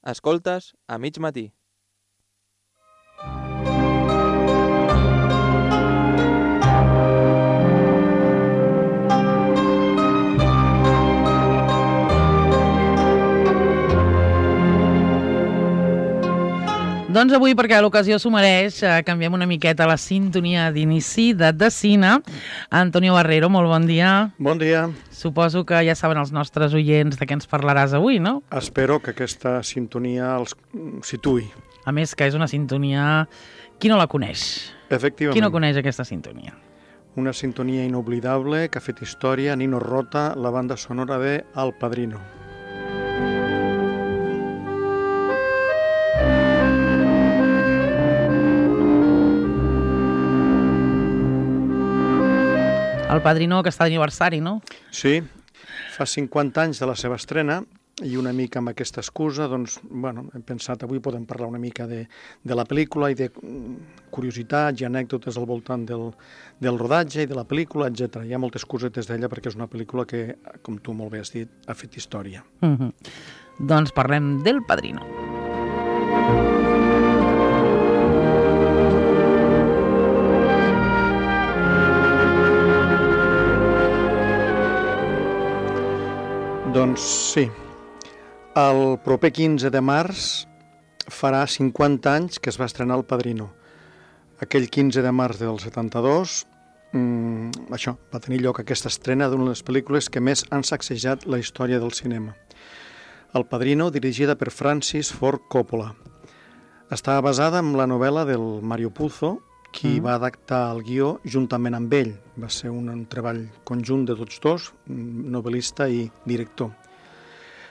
Escoltes a mig matí. Doncs avui, perquè l'ocasió s'ho mereix, canviem una miqueta la sintonia d'inici de Decina. Antonio Barrero, molt bon dia. Bon dia. Suposo que ja saben els nostres oients de què ens parlaràs avui, no? Espero que aquesta sintonia els situï. A més, que és una sintonia... Qui no la coneix? Efectivament. Qui no coneix aquesta sintonia? Una sintonia inoblidable que ha fet història, Nino Rota, la banda sonora de El Padrino. El Padrino, que està d'aniversari, no? Sí, fa 50 anys de la seva estrena i una mica amb aquesta excusa, doncs, bueno, hem pensat avui podem parlar una mica de la pel·lícula i de curiositats i anècdotes al voltant del rodatge i de la pel·lícula, etc. Hi ha moltes cosetes d'ella perquè és una pel·lícula que, com tu molt bé has dit, ha fet història. Doncs parlem del Padrino. Doncs sí, el proper 15 de març farà 50 anys que es va estrenar El Padrino. Aquell 15 de març del 72, això, va tenir lloc aquesta estrena d'una de les pel·lícules que més han sacsejat la història del cinema. El Padrino, dirigida per Francis Ford Coppola. Estava basada en la novel·la del Mario Puzo, qui va adaptar el guió juntament amb ell. Va ser un treball conjunt de tots dos, novel·lista i director.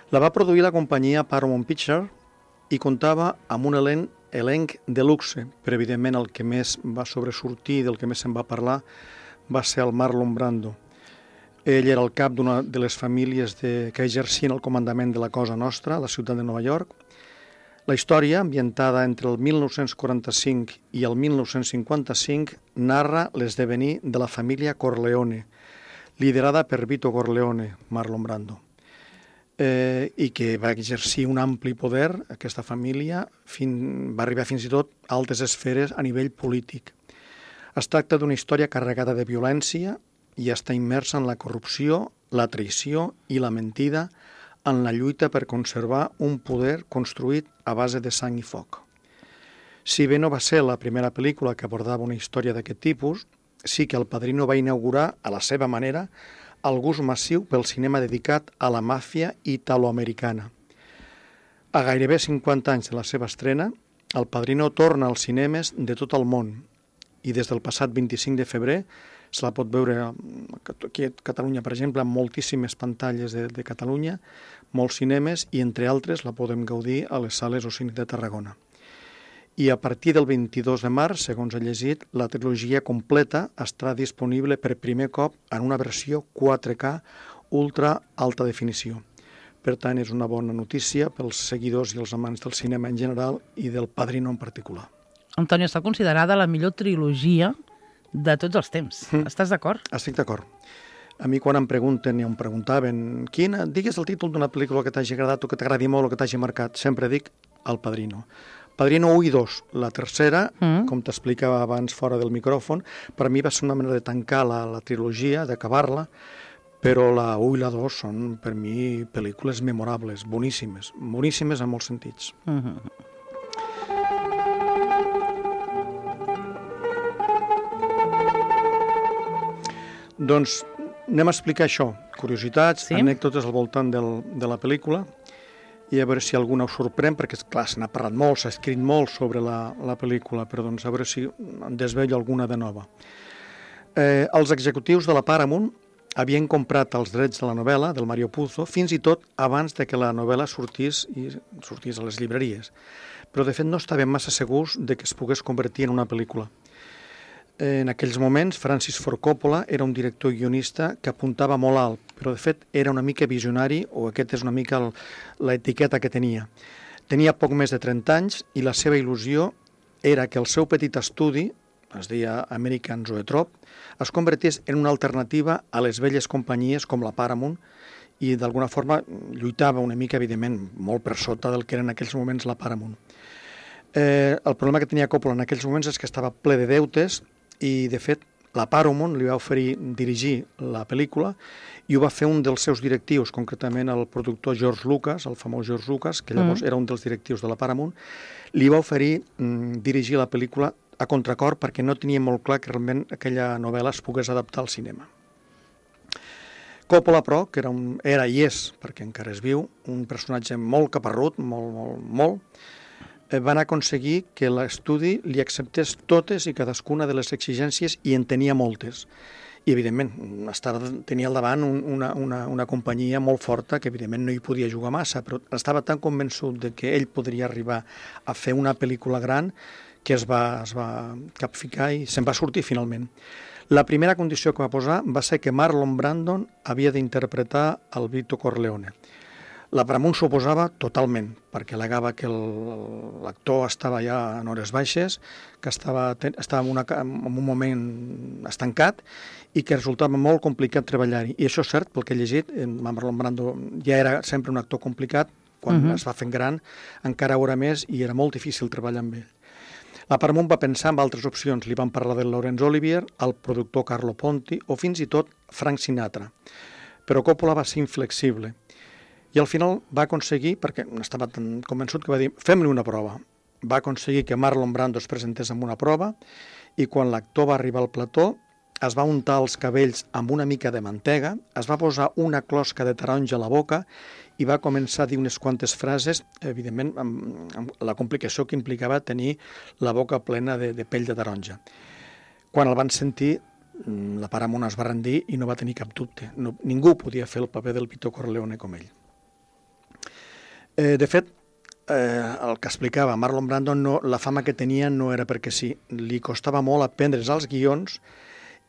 La va produir la companyia Paramount Pictures i comptava amb un elenc de luxe, però evidentment el que més va sobresortir, del que més se'n va parlar, va ser el Marlon Brando. Ell era el cap d'una de les famílies que exercien el comandament de la Cosa Nostra a la ciutat de Nova York. La història, ambientada entre el 1945 i el 1955, narra l'esdevenir de la família Corleone, liderada per Vito Corleone, Marlon Brando, i que va exercir un ampli poder, aquesta família, va arribar fins i tot a altes esferes a nivell polític. Es tracta d'una història carregada de violència i està immersa en la corrupció, la traïció i la mentida, en la lluita per conservar un poder construït a base de sang i foc. Si bé no va ser la primera pel·lícula que abordava una història d'aquest tipus, sí que El Padrino va inaugurar, a la seva manera, el gust massiu pel cinema dedicat a la màfia italoamericana. A gairebé 50 anys de la seva estrena, El Padrino torna als cinemes de tot el món i des del passat 25 de febrer se la pot veure aquí a Catalunya, per exemple, amb moltíssimes pantalles de Catalunya, molts cinemes, i entre altres la podem gaudir a les sales Ocini de Tarragona. I a partir del 22 de març, segons he llegit, la trilogia completa estarà disponible per primer cop en una versió 4K ultra alta definició. Per tant, és una bona notícia pels seguidors i els amants del cinema en general i del Padrino en particular. Antonio, està considerada la millor trilogia de tots els temps. Estàs d'acord? Estic d'acord. A mi quan em pregunten i em preguntaven digues el títol d'una pel·lícula que t'hagi agradat o que t'agradi molt o que t'hagi marcat, sempre dic El Padrino. Padrino 1 i 2. La tercera, com t'explicava abans fora del micròfon, per mi va ser una manera de tancar la trilogia, d'acabar-la, però la 1 i la 2 són per mi pel·lícules memorables, boníssimes en molts sentits. Doncs anem a explicar això, curiositats, anècdotes al voltant de la pel·lícula, i a veure si alguna us sorprèn, perquè, clar, se n'ha parlat molt, s'ha escrit molt sobre la pel·lícula, però doncs a veure si en desvello alguna de nova. Els executius de la Paramount havien comprat els drets de la novel·la del Mario Puzo fins i tot abans de que la novel·la sortís a les llibreries, però de fet no estaven massa segurs de que es pogués convertir en una pel·lícula. En aquells moments, Francis Ford Coppola era un director i guionista que apuntava molt alt, però de fet era una mica visionari, o aquesta és una mica l'etiqueta que tenia. Tenia poc més de 30 anys i la seva il·lusió era que el seu petit estudi, es deia American Zoetrope, es convertís en una alternativa a les velles companyies com la Paramount i d'alguna forma lluitava una mica, evidentment, molt per sota del que era en aquells moments la Paramount. El problema que tenia Coppola en aquells moments és que estava ple de deutes i, de fet, la Paramount li va oferir dirigir la pel·lícula i ho va fer un dels seus directius, concretament el productor George Lucas, el famós George Lucas, que llavors era un dels directius de la Paramount, li va oferir dirigir la pel·lícula a contracor perquè no tenia molt clar que realment aquella novel·la es pogués adaptar al cinema. Coppola, però, que era i és, perquè encara és viu, un personatge molt caparrut, molt, van aconseguir que l'estudi li acceptés totes i cadascuna de les exigències i en tenia moltes. I, evidentment, tenia al davant una companyia molt forta que, evidentment, no hi podia jugar massa, però estava tan convençut de que ell podria arribar a fer una pel·lícula gran que es va capficar i se'n va sortir finalment. La primera condició que va posar va ser que Marlon Brando havia d'interpretar el Vito Corleone. La Paramount s'oposava totalment, perquè al·legava que l'actor estava ja en hores baixes, que estava en un moment estancat i que resultava molt complicat treballar-hi. I això és cert, pel que he llegit, Marlon Brando ja era sempre un actor complicat, quan es va fent gran encara ho era més i era molt difícil treballar amb ell. La Paramount va pensar en altres opcions. Li van parlar de Laurence Olivier, el productor Carlo Ponti o fins i tot Frank Sinatra. Però Coppola va ser inflexible. I al final va aconseguir, perquè estava tan convençut que va dir fem-li una prova. Va aconseguir que Marlon Brando es presentés amb una prova i quan l'actor va arribar al plató es va untar els cabells amb una mica de mantega, es va posar una closca de taronja a la boca i va començar a dir unes quantes frases, evidentment amb la complicació que implicava tenir la boca plena de pell de taronja. Quan el van sentir, la Paramount es va rendir i no va tenir cap dubte. Ningú podia fer el paper del Vito Corleone com ell. De fet, el que explicava Marlon Brando, la fama que tenia no era perquè sí. Li costava molt aprendre's els guions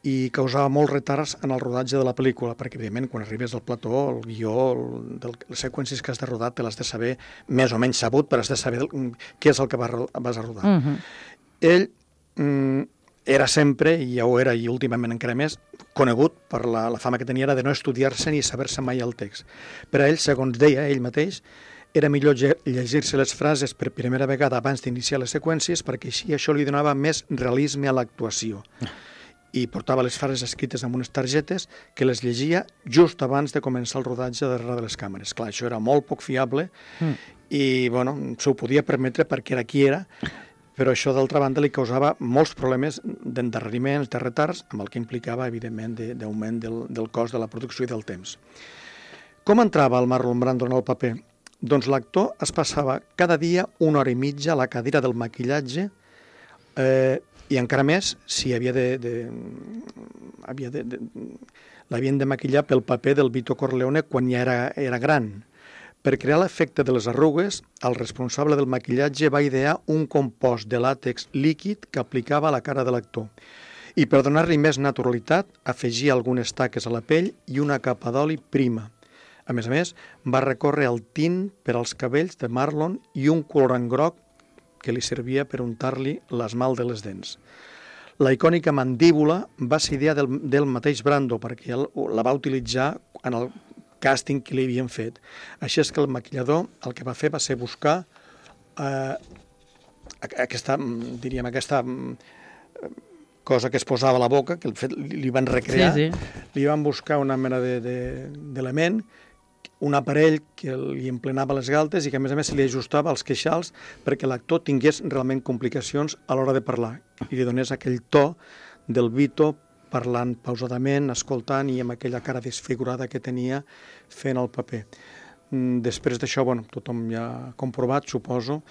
i causava molts retards en el rodatge de la pel·lícula, perquè, evidentment, quan arribes al plató, el guió, les seqüències que has de rodar, te l'has de saber més o menys sabut, però has de saber què és el que vas a rodar. Ell era sempre, i ja ho era, i últimament encara més, conegut per la fama que tenia era de no estudiar-se ni saber-se mai el text. Per a ell, segons deia ell mateix, era millor llegir-se les frases per primera vegada abans d'iniciar les seqüències perquè així això li donava més realisme a l'actuació. I portava les frases escrites amb unes targetes que les llegia just abans de començar el rodatge darrere de les càmeres. Clar, això era molt poc fiable i, bueno, s'ho podia permetre perquè era qui era, però això, d'altra banda, li causava molts problemes d'endarreriments, de retards, amb el que implicava, evidentment, d'augment del cost de la producció i del temps. Com entrava el Marlon Brando en el paper? Doncs l'actor es passava cada dia 1 hora i mitja a la cadira del maquillatge i encara més si l'havien de maquillar pel paper del Vito Corleone quan ja era gran. Per crear l'efecte de les arrugues, el responsable del maquillatge va idear un compost de làtex líquid que aplicava a la cara de l'actor. I per donar-li més naturalitat, afegia algunes taques a la pell i una capa d'oli prima. A més, va recórrer el tint per als cabells de Marlon i un colorant groc que li servia per untar-li l'esmalt de les dents. La icònica mandíbula va ser idea del mateix Brando, perquè ell la va utilitzar en el càsting que li havien fet. Així és que el maquillador el que va fer va ser buscar aquesta cosa que es posava a la boca, que li van recrear, li van buscar una mena d'element, un aparell que li emplenava les galtes i que, a més, se li ajustava als queixals perquè l'actor tingués realment complicacions a l'hora de parlar i li donés aquell to del Vito parlant pausadament, escoltant i amb aquella cara desfigurada que tenia fent el paper. Després d'això, tothom ja ha comprovat, suposo,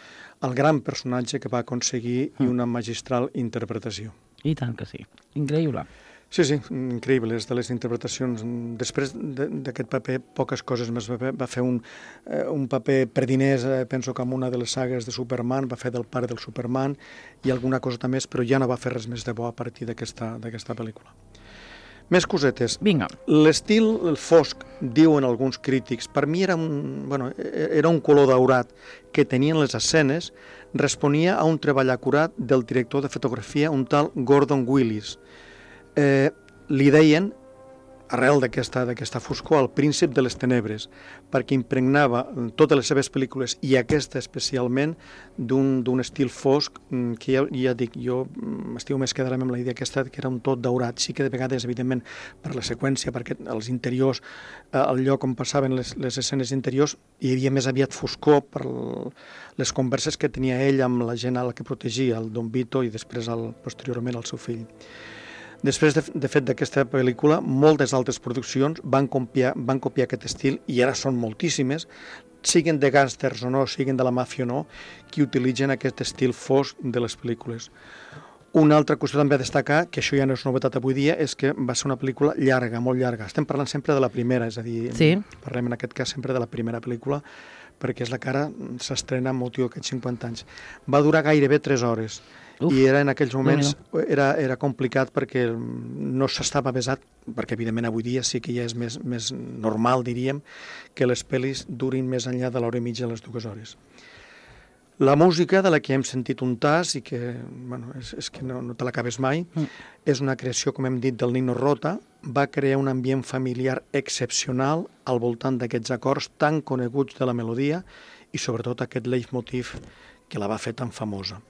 el gran personatge que va aconseguir i una magistral interpretació. I tant que sí. Increïble. Sí, increïble, és de les interpretacions. Després d'aquest paper, poques coses més. Va fer un paper per diners, penso que en una de les sagues de Superman, va fer del pare del Superman i alguna cosa més, però ja no va fer res més de bo a partir d'aquesta pel·lícula. Més cosetes. Vinga. L'estil fosc, diuen alguns crítics, per mi era un color daurat que tenien les escenes, responia a un treball acurat del director de fotografia, un tal Gordon Willis. Li deien arrel d'aquesta foscor, el príncip de les tenebres, perquè impregnava totes les seves pel·lícules, i aquesta especialment, d'un estil fosc, que ja dic, jo m'estiu més quedarem amb la idea aquesta, que era un tot daurat. Sí que de vegades, evidentment, per la seqüència, perquè els interiors, el lloc on passaven les escenes interiors, hi havia més aviat foscor per les converses que tenia ell amb la gent a la que protegia, el Don Vito i després posteriorment el seu fill. Després, de fet, d'aquesta pel·lícula, moltes altres produccions van copiar aquest estil, i ara són moltíssimes, siguin de gàngsters o no, siguin de la màfia o no, que utilitzen aquest estil fosc de les pel·lícules. Una altra qüestió també a destacar, que això ja no és novetat avui dia, és que va ser una pel·lícula llarga, molt llarga. Estem parlant sempre de la primera, és a dir, parlem en aquest cas sempre de la primera pel·lícula, perquè és la que ara s'estrena amb motiu d'aquests 50 anys. Va durar gairebé 3 hores. I era en aquells moments era complicat perquè no s'estava avesat, perquè evidentment avui dia sí que ja és més normal, diríem, que les pel·lis durin més enllà de l'hora i mitja de les 2 hores. La música, de la que hem sentit un tas i que és que no te l'acabes mai, és una creació, com hem dit, del Nino Rota. Va crear un ambient familiar excepcional al voltant d'aquests acords tan coneguts de la melodia i sobretot aquest leitmotiv que la va fer tan famosa.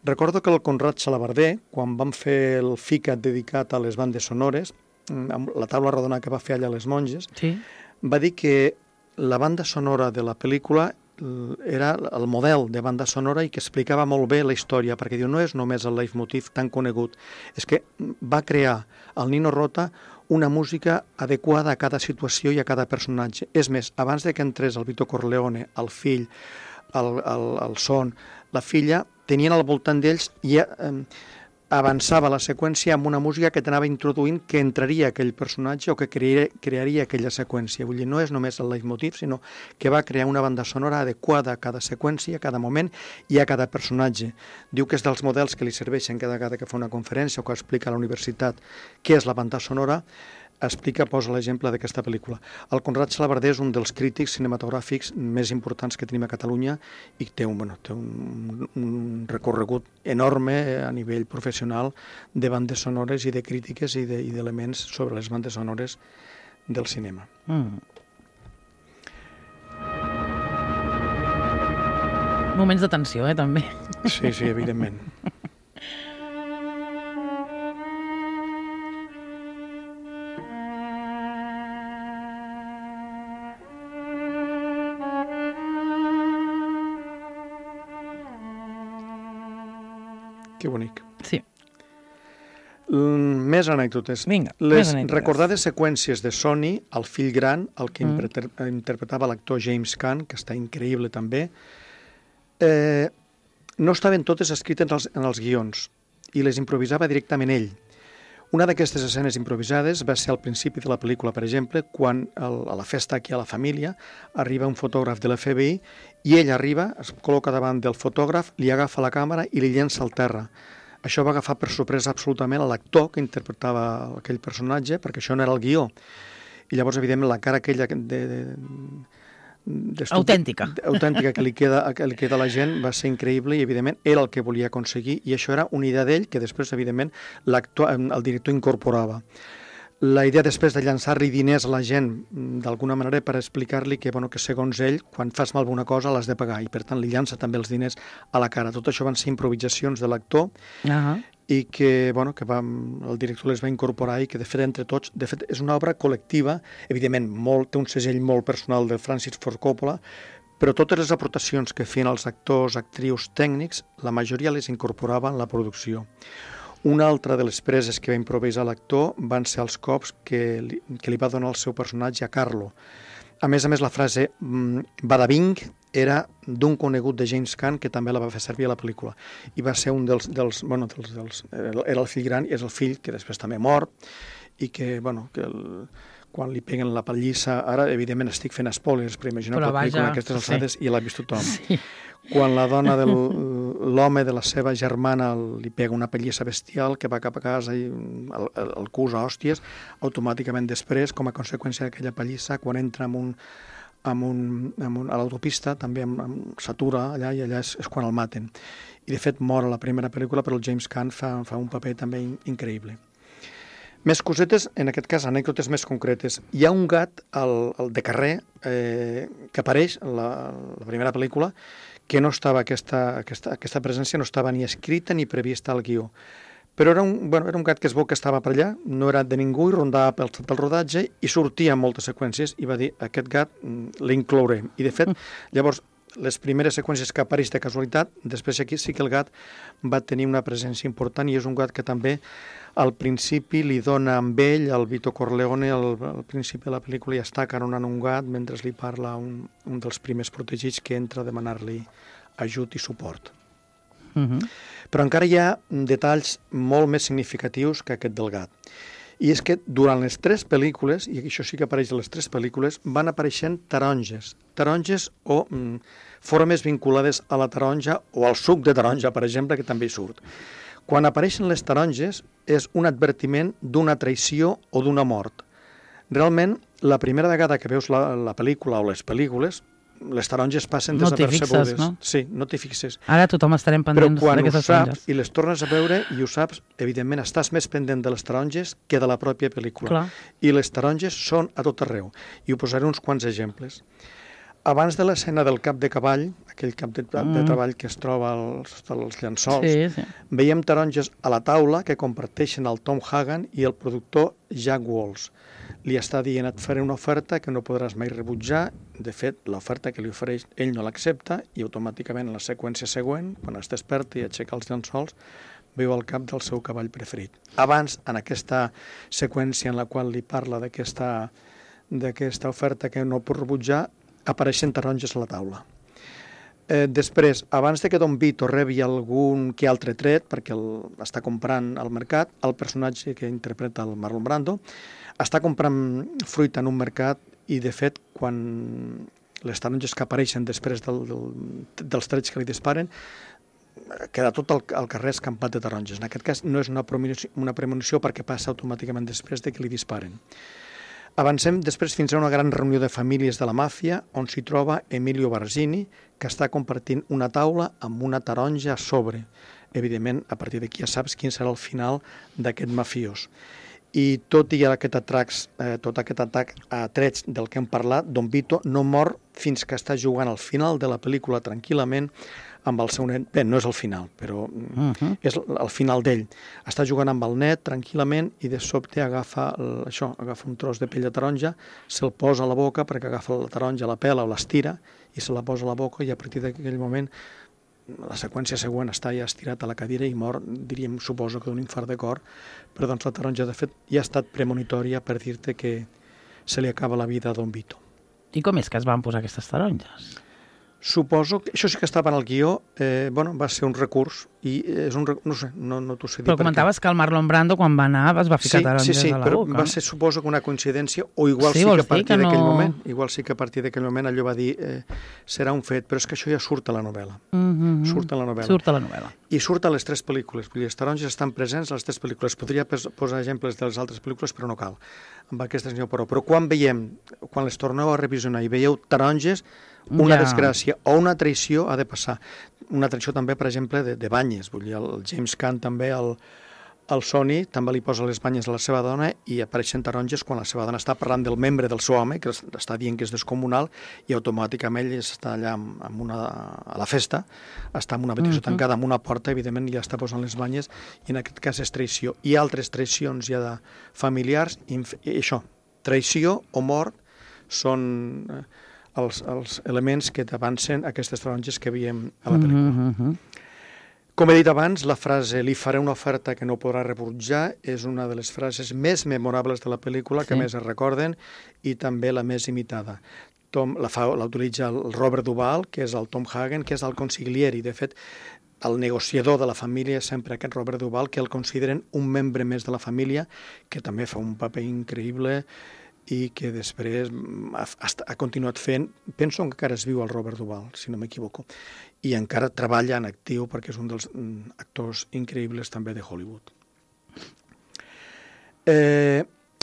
Recordo que el Conrad Xalabarder, quan vam fer el FICAT dedicat a les bandes sonores, amb la taula rodona que va fer allà a les Monges, va dir que la banda sonora de la pel·lícula era el model de banda sonora i que explicava molt bé la història, perquè diu, no és només el leitmotiv tan conegut, és que va crear el Nino Rota una música adequada a cada situació i a cada personatge. És més, abans de que entrés el Vito Corleone, el fill, el son, la filla, tenien al voltant d'ells i avançava la seqüència amb una música que t'anava introduint que entraria aquell personatge o que crearia aquella seqüència. Vull dir, no és només el leitmotiv, sinó que va crear una banda sonora adequada a cada seqüència, a cada moment i a cada personatge. Diu que és dels models que li serveixen cada vegada que fa una conferència o que explica a la universitat què és la banda sonora, posa l'exemple d'aquesta pel·lícula. El Conrad Xalabarder és un dels crítics cinematogràfics més importants que tenim a Catalunya i té un recorregut enorme a nivell professional de bandes sonores i de crítiques i d'elements sobre les bandes sonores del cinema. Moments de tensió, també. Sí, evidentment. Que bonic. Sí. Més anècdotes. Vinga, les recordades seqüències de Sonny, el fill gran, el que interpretava l'actor James Caan, que està increïble també, no estaven totes escrites en els guions i les improvisava directament ell. Una d'aquestes escenes improvisades va ser al principi de la pel·lícula, per exemple, quan a la festa aquí a la família arriba un fotògraf de l'FBI i ell arriba, es col·loca davant del fotògraf, li agafa la càmera i li llença al terra. Això va agafar per sorpresa absolutament a l'actor que interpretava aquell personatge, perquè això no era el guió. I llavors, evidentment, la cara aquella autèntica que li queda a la gent va ser increïble i, evidentment, era el que volia aconseguir i això era una idea d'ell que després, evidentment, el director incorporava. La idea després de llançar-li diners a la gent, d'alguna manera, per explicar-li que segons ell, quan fas mal una cosa l'has de pagar i, per tant, li llança també els diners a la cara. Tot això van ser improvisacions de l'actor i que el director les va incorporar i que, de fet, entre tots, és una obra col·lectiva, evidentment, té un segell molt personal de Francis Ford Coppola, però totes les aportacions que feien els actors, actrius, tècnics, la majoria les incorporava en la producció. Una altra de les preses que va improvisar l'actor van ser els cops que li va donar el seu personatge a Carlo. A més, la frase bada bing era d'un conegut de James Caan que també la va fer servir a la pel·lícula. I va ser un era el fill gran i és el fill que després també mort i que, quan li peguen la pallissa, ara evidentment estic fent spoilers, però imagineu que la pel·lícula aquestes alçades i l'ha vist tothom. Sí. Quan la dona l'home de la seva germana li pega una pallissa bestial que va cap a casa i el cus a hòsties, automàticament després, com a conseqüència d'aquella pallissa, quan entra a l'autopista, també s'atura allà i allà és quan el maten. I de fet mor a la primera pel·lícula, però el James Caan fa un paper també increïble. Més cosetes, en aquest cas, anècdotes més concretes. Hi ha un gat, el de carrer, que apareix en la primera pel·lícula, que no estava, aquesta presència no estava ni escrita ni prevista al guió. Però era un gat que es veu que estava per allà, no era de ningú, i rondava pel rodatge i sortia en moltes seqüències i va dir, aquest gat l'inclourem. I de fet, llavors, les primeres seqüències que apareix de casualitat, després aquí sí que el gat va tenir una presència important i és un gat que també al principi li dona amb ell, el Vito Corleone, al principi de la pel·lícula, i està caronant un gat mentre li parla un dels primers protegits que entra a demanar-li ajut i suport. Però encara hi ha detalls molt més significatius que aquest del gat. I és que durant les 3 pel·lícules, i això sí que apareix a les 3 pel·lícules, van apareixent taronges o formes vinculades a la taronja o al suc de taronja, per exemple, que també hi surt. Quan apareixen les taronges és un advertiment d'una traïció o d'una mort. Realment, la primera vegada que veus la pel·lícula o les pel·lícules, les taronges passen desapercebudes. No? Sí, no t'hi fixes. Ara tothom estarem pendents d'aquestes taronges. Però quan ho saps i les tornes a veure i ho saps, evidentment estàs més pendent de les taronges que de la pròpia pel·lícula. Clar. I les taronges són a tot arreu. I ho posaré uns quants exemples. Abans de l'escena del cap de cavall, aquell cap de treball que es troba als llençols, veiem taronges a la taula que comparteixen el Tom Hagen i el productor Jack Walsh. Li està dient, et faré una oferta que no podràs mai rebutjar. De fet, l'oferta que li ofereix, ell no l'accepta i automàticament en la seqüència següent, quan es desperta i aixeca els llençols, veu el cap del seu cavall preferit. Abans, en aquesta seqüència en la qual li parla d'aquesta oferta que no pot rebutjar, apareixen taronges a la taula. Després, abans de que Don Vito rebi algun que altre tret, perquè està comprant al mercat, el personatge que interpreta el Marlon Brando està comprant fruita en un mercat i, de fet, quan les taronges que apareixen després dels trets que li disparen, queda tot el carrer escampat de taronges. En aquest cas no és una premonició perquè passa automàticament després de que li disparen. Avancem després fins a una gran reunió de famílies de la màfia on s'hi troba Emilio Barzini, que està compartint una taula amb una taronja a sobre. Evidentment, a partir d'aquí ja saps quin serà el final d'aquest mafiós. I tot i aquest atac a trets del que hem parlat, Don Vito no mor fins que està jugant al final de la pel·lícula tranquil·lament amb el seu net. Bé, no és el final, però és el final d'ell. Està jugant amb el net tranquil·lament i de sobte agafa un tros de pell de taronja, se'l posa a la boca perquè agafa la taronja, la pela o l'estira i se la posa a la boca i a partir d'aquell moment la seqüència següent està ja estirat a la cadira i mor, diríem, suposo que d'un infart de cor, però doncs la taronja, de fet, ja ha estat premonitòria per dir-te que se li acaba la vida a Don Vito. I com és que es van posar aquestes taronges? Suposo que això sí que estava en el guió, va ser un recurs i és un no sé, no t'ho sé dir. Però comentaves que el Marlon Brando quan va anar es va ficar taronges a la boca. Sí, però va ser suposo que una coincidència o igual sí que a partir d'aquell moment, igual sí que a partir d'aquell moment allò va dir serà un fet, però és que això ja surt a la novel·la. Surt a la novel·la. I surt a les 3 pel·lícules, vull dir, les taronges estan presents a les 3 pel·lícules. Podria posar exemples de les altres pel·lícules, però no cal. Amb aquestes n'hi ha prou. Però quan les torneu a revisionar i veieu taronges, una desgràcia o una traïció ha de passar. Una traïció també, per exemple, de banyes. Vull dir, el James Caan també, el Sonny, també li posa les banyes a la seva dona i apareixen taronges quan la seva dona està parlant del membre del seu home, que està dient que és descomunal, i automàticament ell està allà a la festa, està en una habitació tancada amb una porta, evidentment ja està posant les banyes, i en aquest cas és traïció. I altres traïcions ja de familiars, i això, traïció o mort són els elements que t'avancen aquestes taronges que veiem a la pel·lícula. Com he dit abans, la frase «li faré una oferta que no podrà rebutjar» és una de les frases més memorables de la pel·lícula, que més es recorden, i també la més imitada. L'utilitza el Robert Duvall, que és el Tom Hagen, que és el consiglieri. De fet, el negociador de la família és sempre aquest Robert Duvall, que el consideren un membre més de la família, que també fa un paper increïble i que després ha continuat fent, penso que encara es viu el Robert Duvall, si no m'equivoco, i encara treballa en actiu perquè és un dels actors increïbles també de Hollywood.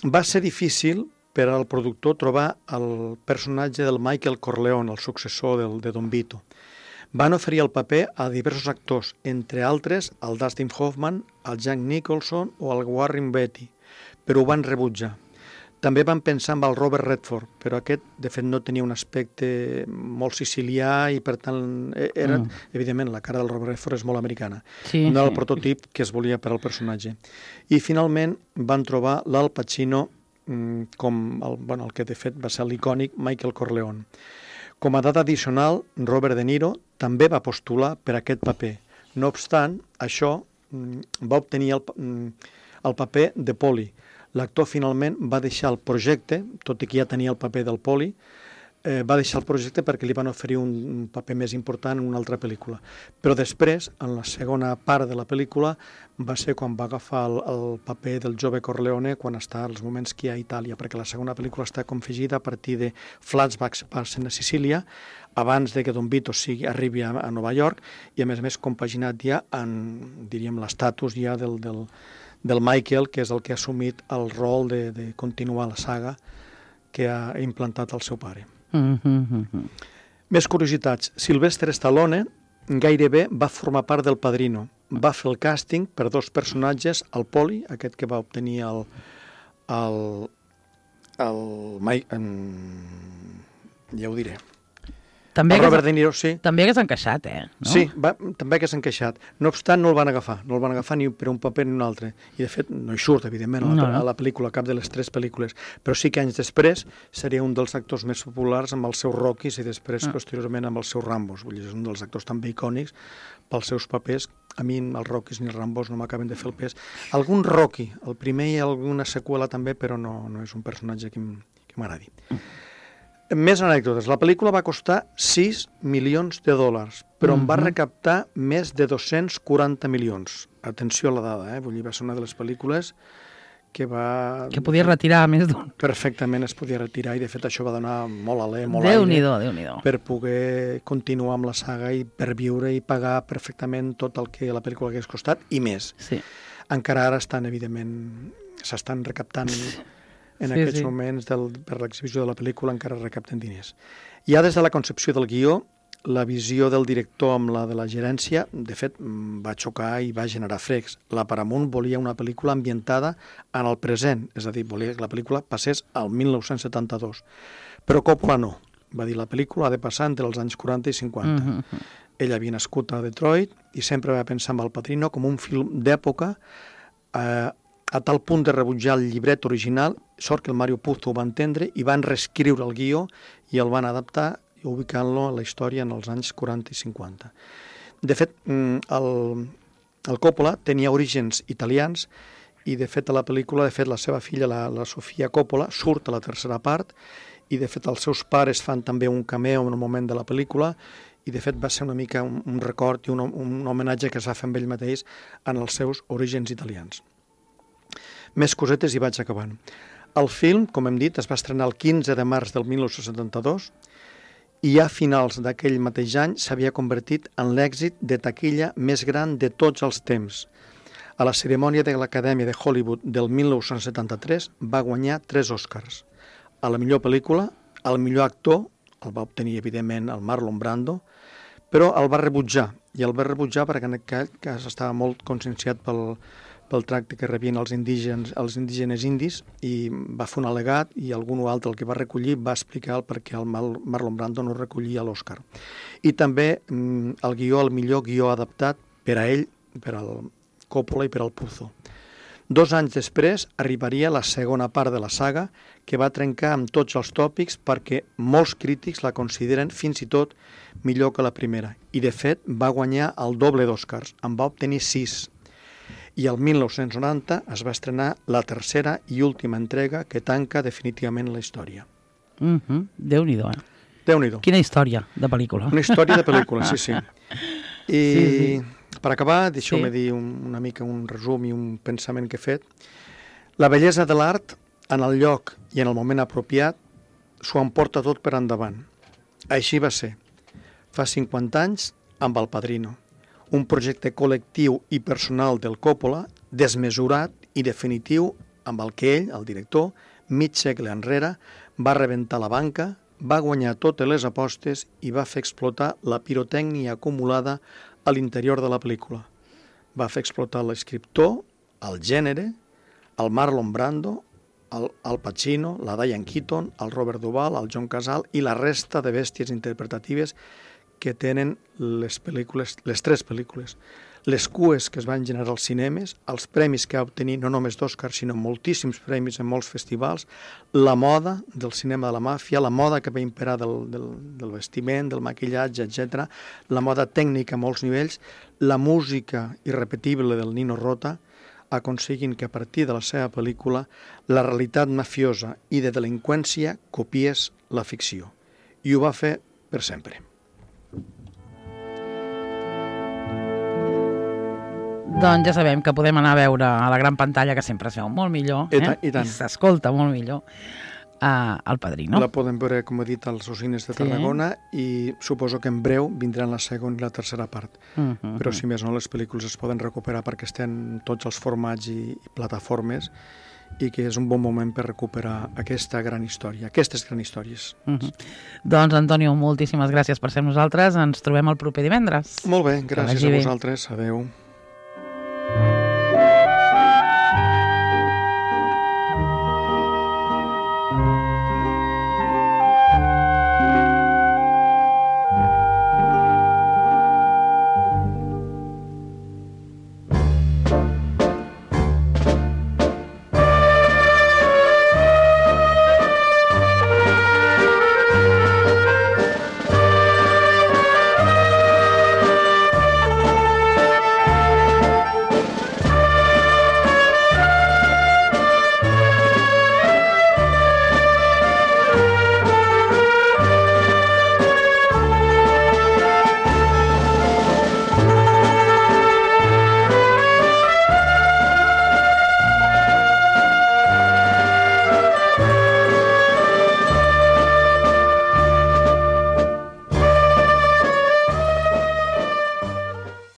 Va ser difícil per al productor trobar el personatge del Michael Corleone, el successor de Don Vito. Van oferir el paper a diversos actors, entre altres el Dustin Hoffman, el Jack Nicholson o el Warren Beatty, però ho van rebutjar. També van pensar amb el Robert Redford, però aquest, de fet, no tenia un aspecte molt sicilià i, per tant, era, evidentment, la cara del Robert Redford és molt americana. Sí, no era el sí. prototip que es volia per al personatge. I, finalment, van trobar l'Al Pacino com el que, de fet, va ser l'icònic Michael Corleone. Com a dada addicional, Robert De Niro també va postular per aquest paper. No obstant, això va obtenir el paper de Poli. L'actor finalment va deixar el projecte, tot i que ja tenia el paper del Poli, va deixar el projecte perquè li van oferir un paper més important en una altra pel·lícula. Però després, en la segona part de la pel·lícula, va ser quan va agafar el paper del jove Corleone quan està als moments que hi ha a Itàlia, perquè la segona pel·lícula està confegida a partir de flashbacks que passen a Sicília, abans de que Don Vito arribi a Nova York, i a més compaginat ja en, diríem, l'estatus ja del Michael, que és el que ha assumit el rol de continuar la saga que ha implantat el seu pare. Més curiositats. Sylvester Stallone gairebé va formar part del Padrino. Va fer el càsting per dos personatges, el Poli, aquest que va obtenir ja ho diré. També Robert De Niro, sí. També hagués encaixat, no? Sí, també hagués encaixat. No obstant, no el van agafar. No el van agafar ni per un paper ni un altre. I, de fet, no hi surt, evidentment, a la pel·lícula, cap de les tres pel·lícules. Però sí que anys després seria un dels actors més populars amb els seus Rockys i després, posteriorment, amb els seus Rambos. Vull dir, és un dels actors també icònics pels seus papers. A mi els Rockys ni els Rambos no m'acaben de fer el pes. Algun Rocky, el primer i alguna seqüela també, però no és un personatge que m'agradi. Més anècdotes. La pel·lícula va costar $6 milions, però en va recaptar més de 240 milions. Atenció a la dada, Vull dir, va ser una de les pel·lícules que va... Que podia retirar més d'un. Perfectament es podia retirar i, de fet, això va donar molt alè, molt Déu-n'hi-do. Per poder continuar amb la saga i per viure i pagar perfectament tot el que la pel·lícula hagués costat i més. Sí. Encara ara s'estan recaptant... En aquests moments, per l'exhibició de la pel·lícula, encara recapten diners. Ja des de la concepció del guió, la visió del director amb la de la gerència, de fet, va xocar i va generar frecs. La Paramount volia una pel·lícula ambientada en el present, és a dir, volia que la pel·lícula passés al 1972. Però Coppola no. Va dir, la pel·lícula ha de passar entre els anys 40 i 50. Ell havia nascut a Detroit i sempre va pensar en El Padrino com un film d'època, a tal punt de rebutjar el llibret original, sort que el Mario Puzo ho va entendre i van reescriure el guió i el van adaptar ubicant-lo a la història en els anys 40 i 50. De fet, el Coppola tenia orígens italians i, de fet, a la pel·lícula, la seva filla, la Sofia Coppola, surt a la tercera part i, de fet, els seus pares fan també un cameo en un moment de la pel·lícula i, de fet, va ser una mica un record i un homenatge que es va fer amb ell mateix en els seus orígens italians. Més cosetes i vaig acabant. El film, com hem dit, es va estrenar el 15 de març del 1972 i a finals d'aquell mateix any s'havia convertit en l'èxit de taquilla més gran de tots els temps. A la cerimònia de l'Acadèmia de Hollywood del 1973 va guanyar 3 Oscars. A la millor pel·lícula, al millor actor, el va obtenir, evidentment, el Marlon Brando, però el va rebutjar. I el va rebutjar perquè en aquell cas estava molt conscienciat pel tracte que rebien els indígenes indis i va fer un al·legat i algun o altre el que va recollir va explicar el per què el Marlon Brando no recollia l'Oscar. I també el millor guió adaptat per a ell, per al Coppola i per al Puzo. 2 anys després arribaria la segona part de la saga que va trencar amb tots els tòpics perquè molts crítics la consideren fins i tot millor que la primera. I de fet va guanyar el doble d'Oscars, en va obtenir 6. I el 1990 es va estrenar la tercera i última entrega que tanca definitivament la història. Déu-n'hi-do, Déu-n'hi-do. Quina història de pel·lícula. Una història de pel·lícula, sí. I per acabar, deixeu-me dir una mica un resum i un pensament que he fet. La bellesa de l'art, en el lloc i en el moment apropiat, s'ho emporta tot per endavant. Així va ser. Fa 50 anys, amb El Padrino. Un projecte col·lectiu i personal del Coppola, desmesurat i definitiu amb el que ell, el director, mig segle enrere, va rebentar la banca, va guanyar totes les apostes i va fer explotar la pirotècnia acumulada a l'interior de la pel·lícula. Va fer explotar l'escriptor, el gènere, el Marlon Brando, el Al Pacino, la Diane Keaton, el Robert Duvall, el John Cazale i la resta de bèsties interpretatives que tenen les tres pel·lícules. Les cues que es van generar als cinemes, els premis que va obtenir no només d'Òscar, sinó moltíssims premis en molts festivals, la moda del cinema de la màfia, la moda que va imperar del vestiment, del maquillatge, etc., la moda tècnica a molts nivells, la música irrepetible del Nino Rota, aconseguint que a partir de la seva pel·lícula la realitat mafiosa i de delinqüència copiés la ficció. I ho va fer per sempre. Doncs ja sabem que podem anar a veure a la gran pantalla, que sempre es veu molt millor, I tant. I s'escolta molt millor, El Padrino. La podem veure, com he dit, als cines de Tarragona i suposo que en breu vindran la segona i la tercera part. Però, si més no, les pel·lícules es poden recuperar perquè estan tots els formats i plataformes i que és un bon moment per recuperar aquesta gran història, aquestes grans històries. Doncs, Antonio, moltíssimes gràcies per ser amb nosaltres. Ens trobem el proper divendres. Molt bé, gràcies a vosaltres. Adéu.